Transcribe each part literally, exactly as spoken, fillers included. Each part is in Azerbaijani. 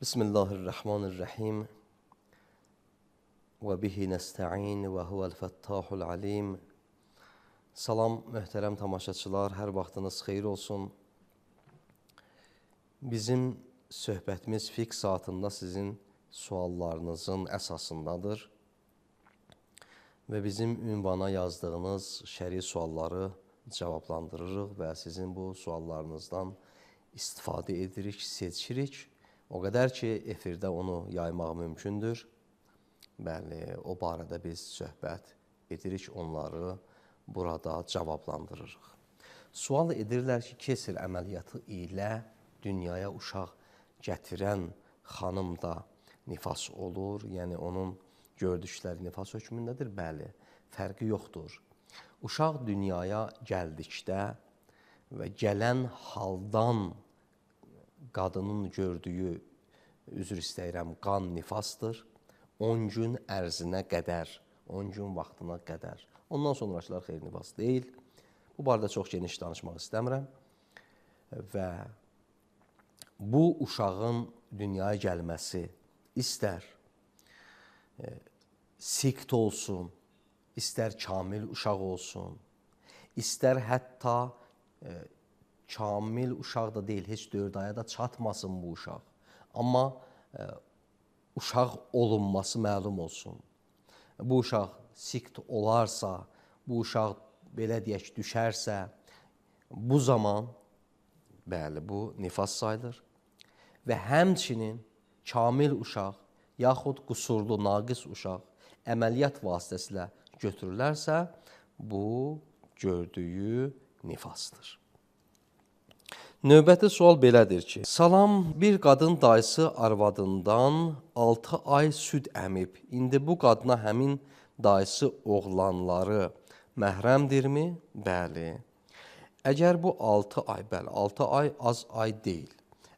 Bismillahirrahmanirrahim. Və bihi nəstə'in və huvəl-fəttahul alim. Salam, möhtərəm tamaşaçılar, hər vaxtınız xeyir olsun. Bizim söhbətimiz fiqh saatında sizin suallarınızın əsasındadır. Və bizim ünvana yazdığınız şəri sualları cavablandırırıq və sizin bu suallarınızdan istifadə edirik, seçirik. O qədər ki, efirdə onu yaymaq mümkündür. Bəli, o barədə biz söhbət edirik, onları burada cavablandırırıq. Sual edirlər ki, kesir əməliyyatı ilə dünyaya uşaq gətirən xanım da nifas olur. Yəni, onun gördükləri nifas hökmündədir. Bəli, fərqi yoxdur. Uşaq dünyaya gəldikdə və gələn haldan qadının gördüyü, üzr istəyirəm, qan nifasdır. on gün ərzinə qədər, on gün vaxtına qədər. Ondan sonrakılar xeyr nifas deyil. Bu barədə çox geniş danışmaq istəmirəm. Və bu uşağın dünyaya gəlməsi istər e, sikt olsun, istər kamil uşaq olsun, istər hətta e, kamil uşaq da deyil, heç dörd aya da çatmasın bu uşaq. Amma e, uşaq olunması məlum olsun. Bu uşaq sikt olarsa, bu uşaq belə deyək düşərsə, bu zaman, bəli, bu nifas sayılır. Və həmçinin kamil uşaq, yaxud qüsurlu, naqis uşaq əməliyyat vasitəsilə götürülərsə, bu gördüyü nifasdır. Növbəti sual belədir ki, salam, bir qadın dayısı arvadından altı ay süd əmib. İndi bu qadına həmin dayısı oğlanları məhrəmdirmi? Bəli. Əgər bu altı ay, bəli, altı ay az ay deyil.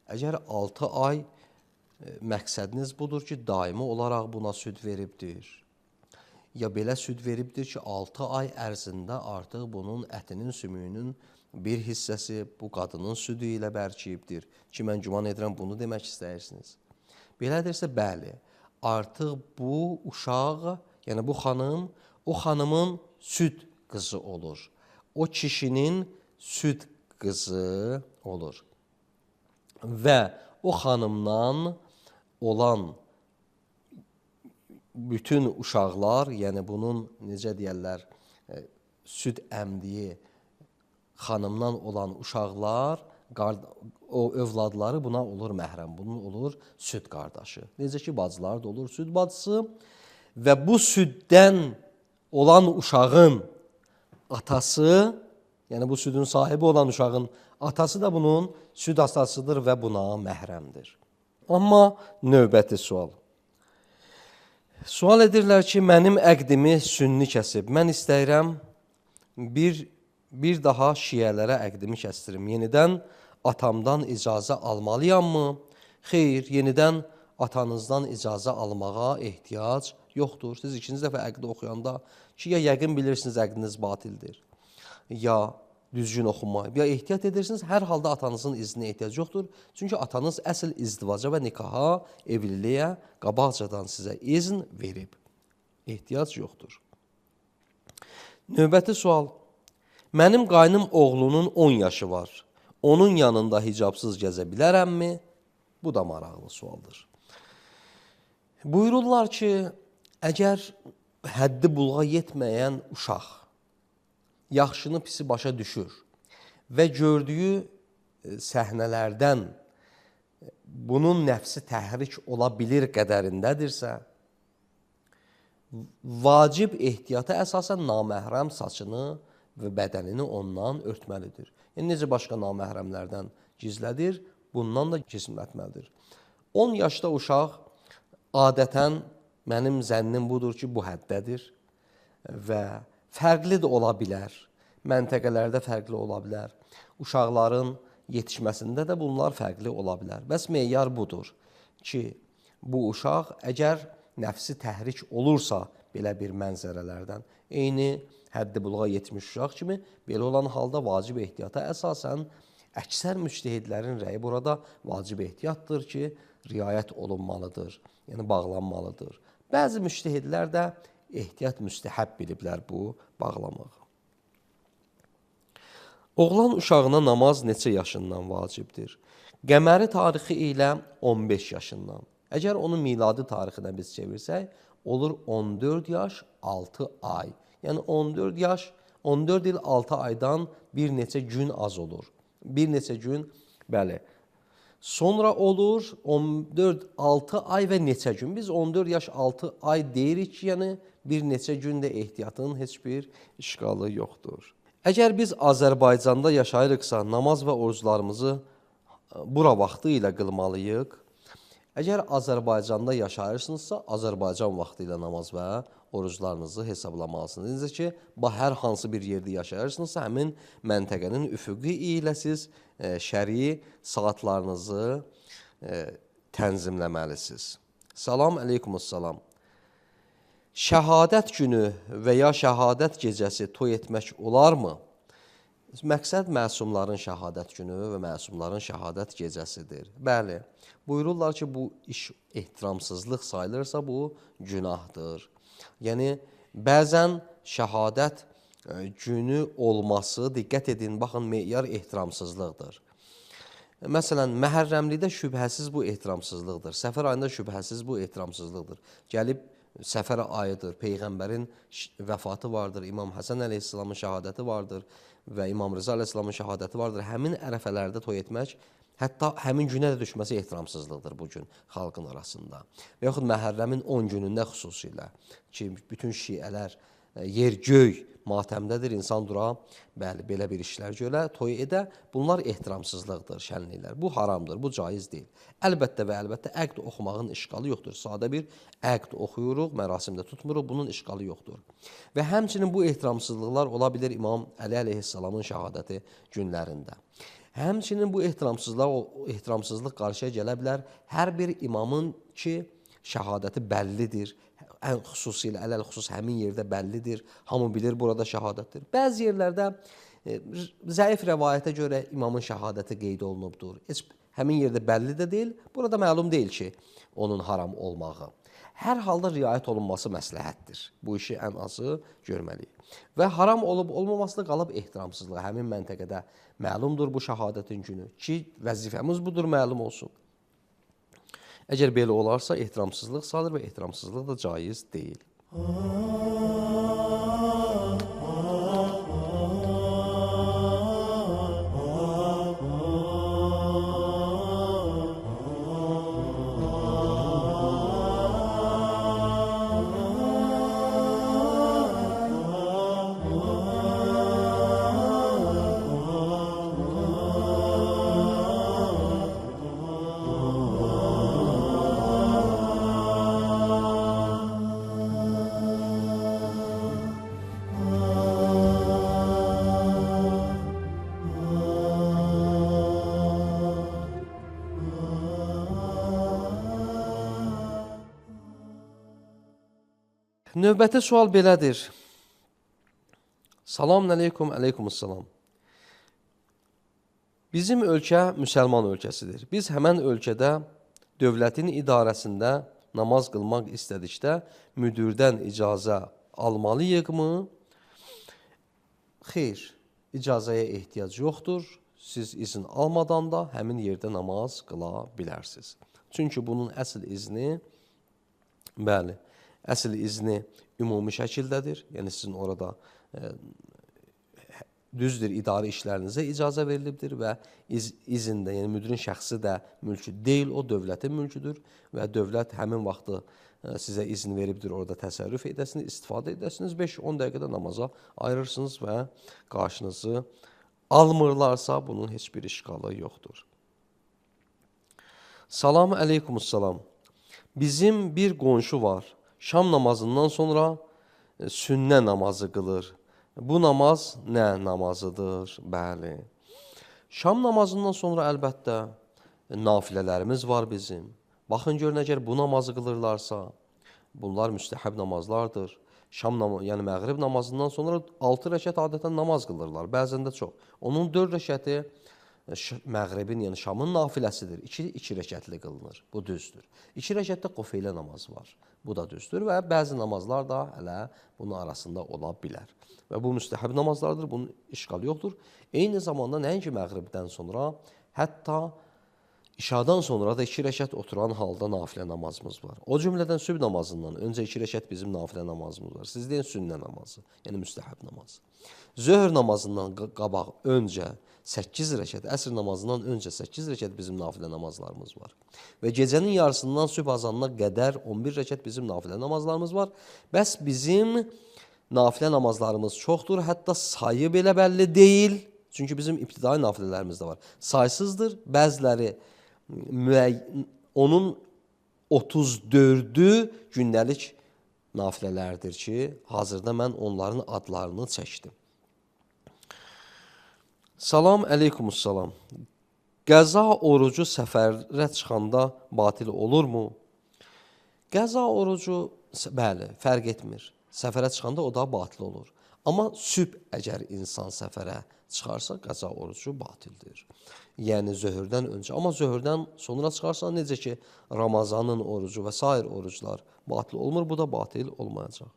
Əgər altı ay e, məqsədiniz budur ki, daimi olaraq buna süd veribdir. Ya belə süd veribdir ki, altı ay ərzində artıq bunun ətinin, sümüyünün bir hissəsi bu qadının südü ilə bərkiyibdir ki, mən güman edirəm bunu demək istəyirsiniz. Belədirsə, bəli, artıq bu uşaq, yəni bu xanım, o xanımın süd qızı olur. O kişinin süd qızı olur. Və o xanımdan olan bütün uşaqlar, yəni bunun, necə deyərlər, süd əmdiyi xanımdan olan uşaqlar, o övladları buna olur məhrəm, bunun olur süd qardaşı. Necə ki, bacılar da olur süd bacısı və bu süddən olan uşağın atası, yəni bu südün sahibi olan uşağın atası da bunun süd atasıdır və buna məhrəmdir. Amma növbəti sual. Sual edirlər ki, mənim əqdimi sünni kəsib. Mən istəyirəm bir Bir daha şiyələrə əqdimi kəstirim. Yenidən atamdan icazə almalıyammı? Xeyr, yenidən atanızdan icazə almağa ehtiyac yoxdur. Siz ikinci dəfə əqdi oxuyanda ki, ya yəqin bilirsiniz əqdiniz batildir, ya düzgün oxunmayıb, ya ehtiyat edirsiniz, hər halda atanızın izninə ehtiyac yoxdur. Çünki atanız əsl izdivaca və nikaha, evliliyə qabaqcadan sizə izn verib. Ehtiyac yoxdur. Növbəti sual. Mənim qaynım oğlunun on yaşı var. Onun yanında hicabsız gəzə bilərəmmi? Bu da maraqlı sualdır. Buyururlar ki, əgər həddi buluğa yetməyən uşaq yaxşını pisi başa düşür və gördüyü səhnələrdən bunun nəfsi təhrik ola bilir qədərindədirsə, vacib ehtiyata əsasən naməhrəm saçını və bədənini ondan örtməlidir. Yəni, necə başqa naməhrəmlərdən gizlədir, bundan da gizlətməlidir. on yaşda uşaq adətən mənim zənnim budur ki, bu həddədir və fərqli də ola bilər. Məntəqələrdə fərqli ola bilər. Uşaqların yetişməsində də bunlar fərqli ola bilər. Bəs meyar budur ki, bu uşaq əgər nəfsi təhrik olursa belə bir mənzərələrdən, eyni həddi buluğa yetmiş uşaq kimi, belə olan halda vacib ehtiyata əsasən əksər müctəhidlərin rəyi burada vacib ehtiyatdır ki, riayət olunmalıdır, yəni bağlanmalıdır. Bəzi müştəhidlər də ehtiyat müstəhəb biliblər bu bağlamağı. Oğlan uşağına namaz neçə yaşından vacibdir? Qəməri tarixi ilə on beş yaşından. Əgər onun miladi tarixinə biz çevirsək, olur on dörd yaş, altı ay. Yəni on dörd yaş, on dörd il altı aydan bir neçə gün az olur. Bir neçə gün, bəli. Sonra olur on dörd altı ay və neçə gün. Biz on dörd yaş altı ay deyirik ki, yəni bir neçə gündə ehtiyatın heç bir işqalı yoxdur. Əgər biz Azərbaycanda yaşayırıqsa, namaz və oruclarımızı bura vaxtı ilə qılmalıyıq. Əgər Azərbaycanda yaşayırsınızsa, Azərbaycan vaxtı ilə namaz və oruclarınızı hesablamalısınız. Necə ki, hər hansı bir yerdə yaşayırsınızsa, həmin məntəqənin üfüqi ilə siz şəri saatlarınızı tənzimləməlisiniz. Salam əleykumussalam. Şəhadət günü və ya şəhadət gecəsi toy etmək olarmı? Məqsəd məsumların şəhadət günü və məsumların şəhadət gecəsidir. Bəli, buyururlar ki, bu iş ehtiramsızlıq sayılırsa, bu günahdır. Yəni, bəzən şəhadət günü olması, diqqət edin, baxın, meyar ehtiramsızlıqdır. Məsələn, Məhərrəmlikdə şübhəsiz bu ehtiramsızlıqdır. Səfər ayında şübhəsiz bu ehtiramsızlıqdır. Gəlib, səfər ayıdır, Peyğəmbərin vəfatı vardır, İmam Həsən əleyhissalamın şəhadəti vardır və İmam Rıza əleyhissalamın şəhadəti vardır. Həmin ərəfələrdə toy etmək, hətta həmin günə də düşməsi ehtiramsızlıqdır bu gün xalqın arasında. Və yaxud Məhərrəmin on günündə xüsusilə ki, bütün şiələr yer göy matəmdədir, insan dura, bəli, belə bir işlər görə, toy edə, bunlar ehtiramsızlıqdır, şənliklər. Bu haramdır, bu caiz deyil. Əlbəttə və əlbəttə əqd oxumağın işqalı yoxdur. Sadə bir əqd oxuyuruq, mərasimdə tutmuruq, bunun işqalı yoxdur. Və həmçinin bu ehtiramsızlıqlar ola bilir İmam Əli əleyhissalamın şəhadəti günlərində. Həmçinin bu ehtiramsızlıq qarşıya gələ bilər hər bir imamın ki, şəhadəti bəllidir, ən xüsusilə, ələl xüsus həmin yerdə bəllidir, hamı bilir burada şəhadətdir. Bəzi yerlərdə e, zəif rəvayətə görə imamın şəhadəti qeyd olunubdur. Heç həmin yerdə bəlli də deyil, burada məlum deyil ki, onun haram olmağı. Hər halda riayət olunması məsləhətdir. Bu işi ən azı görməliyik. Və haram olub olmaması da qalıb ehtiramsızlığı. Həmin məntəqədə məlumdur bu şəhadətin günü ki, vəzifəmiz budur, məlum olsun. Əgər belə olarsa, ehtiramsızlıq sayılır və ehtiramsızlıq da caiz deyil. Növbəti sual belədir. Salam əleykum, əleykumussalam. Bizim ölkə müsəlman ölkəsidir. Biz həmən ölkədə dövlətin idarəsində namaz qılmaq istədikdə müdürdən icazə almalıyıqmı? Xeyr, icazəyə ehtiyac yoxdur. Siz izin almadan da həmin yerdə namaz qıla bilərsiniz. Çünki bunun əsl izni, bəli, əsl izni ümumi şəkildədir. Yəni, sizin orada e, düzdür, idarə işlərinizə icazə verilibdir və iz, izində, yəni müdirin şəxsi də mülkü deyil, o dövlətin mülküdür və dövlət həmin vaxtı e, sizə izin veribdir, orada təsərrüf edəsiniz, istifadə edəsiniz, beş on dəqiqədə namaza ayırırsınız və qarşınızı almırlarsa, bunun heç bir işqalı yoxdur. Salam əleykumussalam. Bizim bir qonşu var. Şam namazından sonra e, sünnə namazı qılır. Bu namaz nə namazıdır? Bəli. Şam namazından sonra əlbəttə e, nafilələrimiz var bizim. Baxın görün, əgər bu namazı qılırlarsa, bunlar müstəhəb namazlardır. Şam namazı, yəni məğrib namazından sonra altı rəkət adətən namaz qılırlar, bəzən də çox. Onun dörd rəkəti məğribin, yəni Şamın nafiləsidir. İki, iki rəkətli qılınır. Bu düzdür. İki rəkətdə qofeylə namaz var. Bu da düzdür və bəzi namazlar da hələ bunun arasında ola bilər. Və bu müstəhəb namazlardır, bunun işğalı yoxdur. Eyni zamanda nəinki məğribdən sonra, hətta İşadan sonra da iki rəkət oturan halda nafilə namazımız var. O cümlədən sübh namazından öncə iki rəkət bizim nafilə namazımız var. Siz deyin sünnə namazı, yəni müstəhəb namazı. Zöhr namazından qabaq öncə səkkiz rəkət, əsr namazından öncə səkkiz rəkət bizim nafilə namazlarımız var. Və gecənin yarısından sübh azanına qədər on bir rəkət bizim nafilə namazlarımız var. Bəs bizim nafilə namazlarımız çoxdur, hətta sayı belə bəlli deyil. Çünki bizim ibtidai nafilələrimiz də var. Saysızdır, bəziləri onun otuz dördü gündəlik nafilələrdir ki, hazırda mən onların adlarını çəkdim. Salam, əleykumussalam. Qəza orucu səfərə çıxanda batil olurmu? Qəza orucu, bəli, fərq etmir. Səfərə çıxanda o da batil olur. Amma sübh əgər insan səfərə çıxarsa, qəza orucu batildir. Yəni zöhrdən öncə. Amma zöhrdən sonra çıxarsa, necə ki, Ramazanın orucu və sair oruclar batil olmur, bu da batil olmayacaq.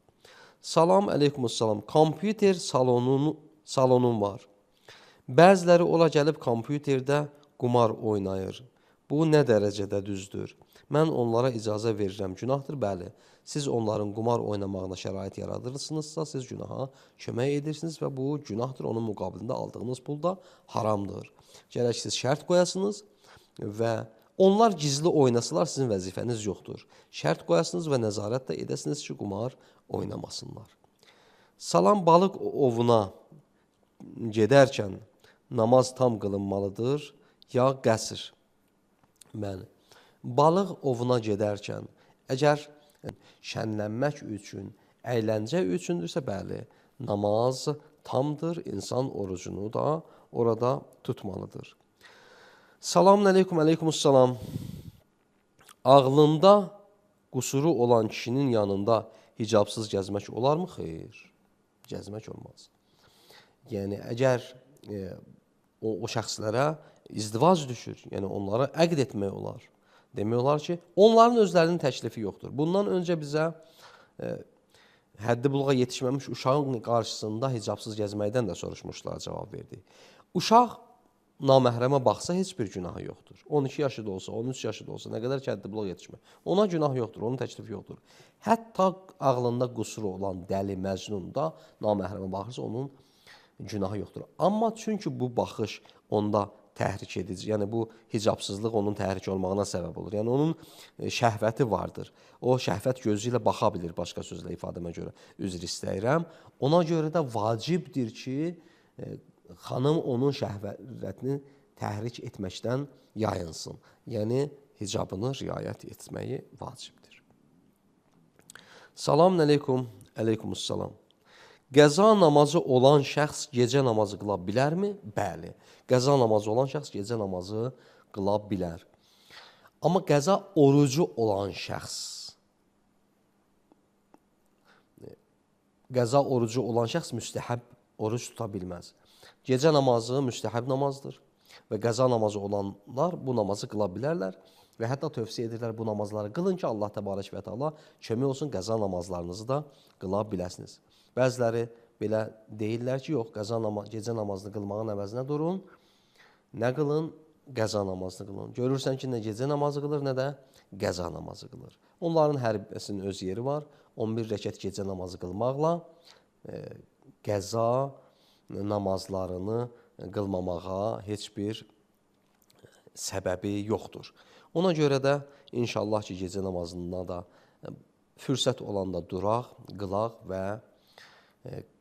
Salam, əleykumussalam. Kompüter salonun, salonun var. Bəziləri ola gəlib kompüterdə qumar oynayır. Bu nə dərəcədə düzdür? Mən onlara icazə verirəm. Günahdır, bəli. Siz onların qumar oynamağına şərait yaradırırsınızsa, siz günaha kömək edirsiniz və bu günahdır. Onun müqabilində aldığınız pul da haramdır. Gərək siz şərt qoyasınız və onlar gizli oynasılar, sizin vəzifəniz yoxdur. Şərt qoyasınız və nəzarət də edəsiniz ki, qumar oynamasınlar. Salam, balıq ovuna gedərkən namaz tam qılınmalıdır ya qəsr? Bəli. Balıq ovuna gedərkən əgər şənlənmək üçün, əyləncə üçündürsə, bəli, namaz tamdır, insan orucunu da orada tutmalıdır. Salam, əleykum, əleykumussalam. Ağlında qusuru olan kişinin yanında hicabsız gəzmək olarmı? Xeyr, gəzmək olmaz. Yəni, əgər e, o, o şəxslərə izdivac düşür, yəni onlara əqd etmək olar. Demək olar ki, onların özlərinin təklifi yoxdur. Bundan öncə bizə e, həddi buluğa yetişməmiş uşağın qarşısında hicabsız gəzməkdən də soruşmuşlar, cavab verdi. Uşaq naməhrəmə baxsa heç bir günahı yoxdur. on iki yaşı da olsa, on üç yaşı da olsa, nə qədər ki həddi buluğa yetişmək. Ona günah yoxdur, onun təklifi yoxdur. Hətta ağlında qusuru olan dəli, məcnun da naməhrəmə baxırsa, onun günahı yoxdur. Amma çünki bu baxış onda təhrik edici, yəni bu hicabsızlıq onun təhrik olmağına səbəb olur. Yəni onun şəhvəti vardır. O şəhvət gözü ilə baxa bilir, başqa sözlə ifadəmə görə üzr istəyirəm. Ona görə də vacibdir ki, xanım onun şəhvətini təhrik etməkdən yayınsın. Yəni hicabını riayət etməyi vacibdir. Salam əleykum, əleykumussalam. Qəza namazı olan şəxs gecə namazı qıla bilərmi? Bəli. Qəza namazı olan şəxs gecə namazı qıla bilər. Amma qəza orucu olan şəxs, qəza orucu olan şəxs müstəhəb oruc tuta bilməz. Gecə namazı müstəhəb namazdır və qəza namazı olanlar bu namazı qıla bilərlər və hətta tövsiyə edirlər bu namazları qılın ki, Allah təbarək və təala kömək olsun, qəza namazlarınızı da qıla biləsiniz. Bəziləri belə deyirlər ki, yox, qəza namaz, gecə namazını qılmağın əvəzinə durun, nə qılın? Qəza namazını qılın. Görürsən ki, nə gecə namazı qılır, nə də qəza namazı qılır. Onların hər birisinin öz yeri var. on bir rəkət gecə namazı qılmaqla e, qəza namazlarını qılmamağa heç bir səbəbi yoxdur. Ona görə də inşallah ki, gecə namazında da fürsət olanda duraq, qılaq və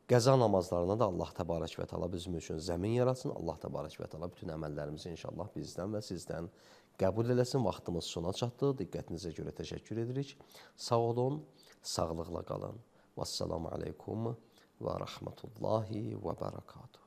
qəza namazlarına da Allah təbarək və təala bizim üçün zəmin yaratsın. Allah təbarək və təala bütün əməllərimizi inşallah bizdən və sizdən qəbul eləsin. Vaxtımız sona çatdı. Diqqətinizə görə təşəkkür edirik. Sağ olun, sağlıqla qalın. Vəssalamu aleykum və rəhmətullahi və bərəkatuhu.